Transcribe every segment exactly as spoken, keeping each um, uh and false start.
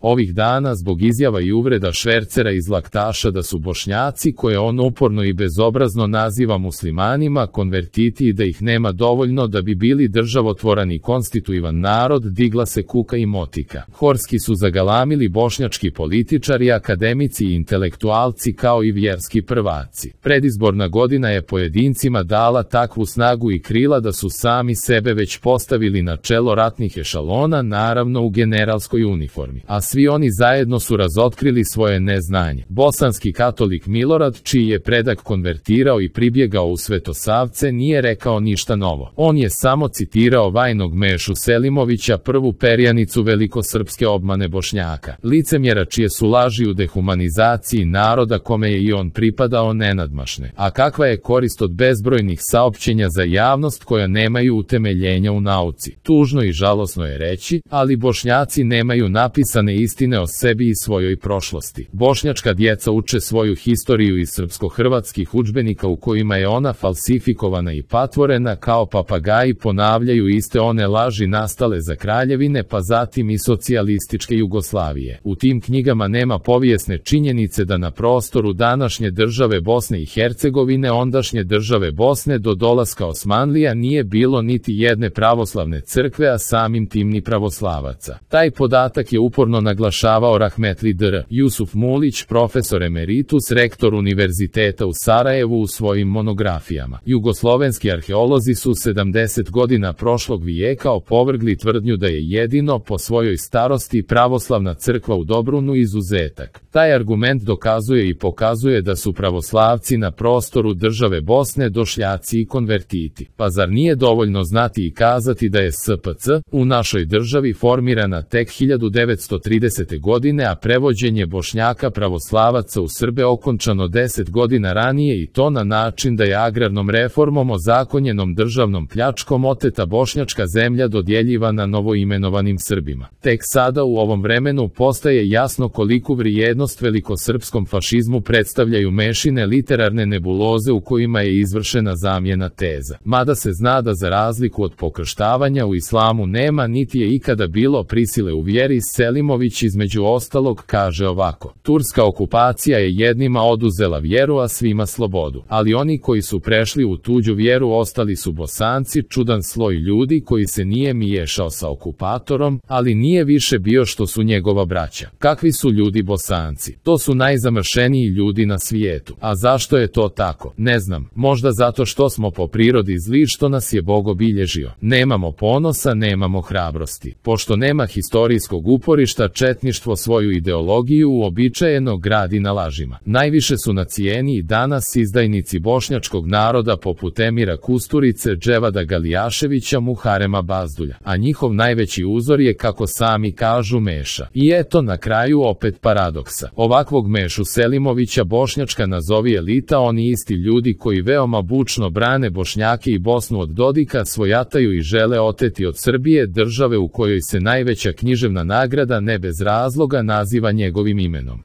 Ovih dana zbog izjava i uvreda švercera iz Laktaša da su Bošnjaci, koje on uporno i bezobrazno naziva muslimanima, konvertiti i da ih nema dovoljno da bi bili državotvoran i konstituivan narod, digla se kuka i motika. Horski su zagalamili bošnjački političari, akademici i intelektualci kao i vjerski prvaci. Predizborna godina je pojedincima dala takvu snagu i krila da su sami sebe već postavili na čelo ratnih ešalona, naravno u generalskoj uniformi. A svi oni zajedno su razotkrili svoje neznanje. Bosanski katolik Milorad, čiji je predak konvertirao i pribjegao u Svetosavce, nije rekao ništa novo. On je samo citirao vajnog Mešu Selimovića, prvu perjanicu velikosrpske obmane Bošnjaka. Licemjera čije su laži u dehumanizaciji naroda kome je i on pripadao nenadmašne. A kakva je korist od bezbrojnih saopćenja za javnost koja nemaju utemeljenja u nauci? Tužno i žalosno je reći, ali Bošnjaci nemaju napisane istine o sebi i svojoj prošlosti. Bošnjačka djeca uče svoju historiju iz srpsko-hrvatskih udžbenika u kojima je ona falsifikovana i patvorena, kao papagaji ponavljaju iste one laži nastale za kraljevine pa zatim i socijalističke Jugoslavije. U tim knjigama nema povijesne činjenice da na prostoru današnje države Bosne i Hercegovine, ondašnje države Bosne do dolaska Osmanlija, nije bilo niti jedne pravoslavne crkve, a samim tim ni pravoslavaca. Taj podatak je uporno naglašavao rahmetli dr. Jusuf Mulić, profesor emeritus, rektor Univerziteta u Sarajevu, u svojim monografijama. Jugoslovenski arheolozi su sedamdeset godina prošlog vijeka opovrgli tvrdnju da je jedino po svojoj starosti pravoslavna crkva u Dobrunu izuzetak. Taj argument dokazuje i pokazuje da su pravoslavci na prostoru države Bosne došljaci i konvertiti. Pa zar nije dovoljno znati i kazati da je S P C u našoj državi formirana tek hiljadu devetsto tridesete. godine, a prevođenje Bošnjaka pravoslavaca u Srbe okončano deset godina ranije, i to na način da je agrarnom reformom ozakonjenom državnom pljačkom oteta bošnjačka zemlja dodjeljivana novoimenovanim Srbima. Tek sada u ovom vremenu postaje jasno koliku vrijednost velikosrpskom fašizmu predstavljaju mešine literarne nebuloze u kojima je izvršena zamjena teza. Mada se zna da za razliku od pokrštavanja u islamu nema niti je ikada bilo prisile u vjeri, Selimović između ostalog kaže ovako: turska okupacija je jednima oduzela vjeru, a svima slobodu. Ali oni koji su prešli u tuđu vjeru ostali su Bosanci, čudan sloj ljudi koji se nije miješao sa okupatorom, ali nije više bio što su njegova braća. Kakvi su ljudi Bosanci? To su najzamršeniji ljudi na svijetu. A zašto je to tako? Ne znam, možda zato što smo po prirodi zli, što nas je Bog obilježio. Nemamo ponosa, nemamo hrabrosti. Pošto nema historijskog uporišta, četništvo svoju ideologiju uobičajeno gradi na lažima. Najviše su na cijeni i danas izdajnici bošnjačkog naroda poput Emira Kusturice, Dževada Galijaševića, Muharema Bazdulja. A njihov najveći uzor je, kako sami kažu, Meša. I eto na kraju opet paradoksa. Ovakvog Mešu Selimovića bošnjačka nazovi elita, oni isti ljudi koji veoma bučno brane Bošnjake i Bosnu od Dodika, svojataju i žele oteti od Srbije, države u kojoj se najveća književna nagrada ne bez razloga naziva njegovim imenom.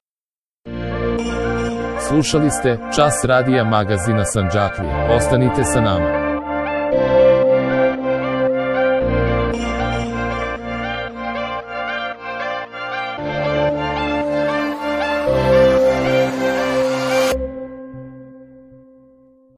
Slušali ste Čas radija magazina Sandžaklija. Ostanite sa nama.